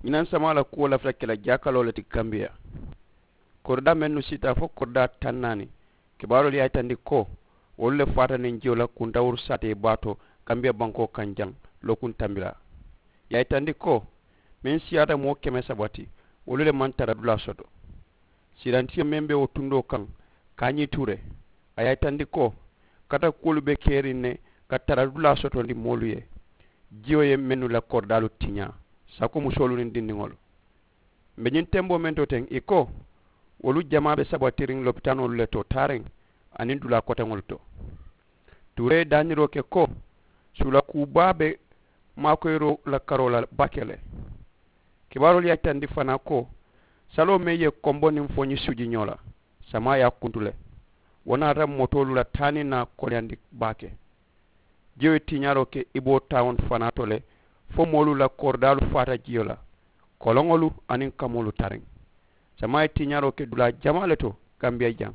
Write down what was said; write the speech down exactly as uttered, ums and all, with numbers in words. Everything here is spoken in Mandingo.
Ñinaŋ samaa la kuwo lafita ke la jaakaloo le ti kambiya. Koridaa mennu siita fo koridaa taŋ naani, kibaaroolu ye a yitandi ko wolu le faata niŋ jiyo la kuntawuru saatee baa to kambiya bankoo kaŋ jaŋ lookuŋ tambilaa. Ye a yitandi ko meŋ siyaata moo keme saba ti, wolu le maŋ tara dulaa soto. Siirantiyo meŋ be wo tundoo kaŋ, kaañii ture, a ye a yitandi ko kata kuwolu be keriŋ ne ka tara dulaa sotondi moolu ye. Jiyo ye mennu la koridaalu tiñaa, sako musoolu niŋ dindiŋolu. Mbe ñiŋ temboo meŋ to teŋ i ko wolu jamaa be sabatiriŋ lopitaanoolu le to taariŋ aniŋ dulaa koteŋolu to. Ture ye daaniroo ke ko suula kuu baa be maakoyiroo la karoo la baake le. Kibaaroolu ye a yitandi fanaa ko saloo meŋ ye kombo niŋ foñi suji ñoo la, samaa ye a kuntu le. Wo naata motoolu la taa niŋ naa koleyandi baake. Jiyo ye tiiñaaroo ke i boo taawon fanaa to le, fo moolu la koridaalu faata jiyo la, koloŋolu aniŋ kamoolu tariŋ. Samaa ye tiiñaaroo ke dulaa jamaa le to kambiya jaŋ.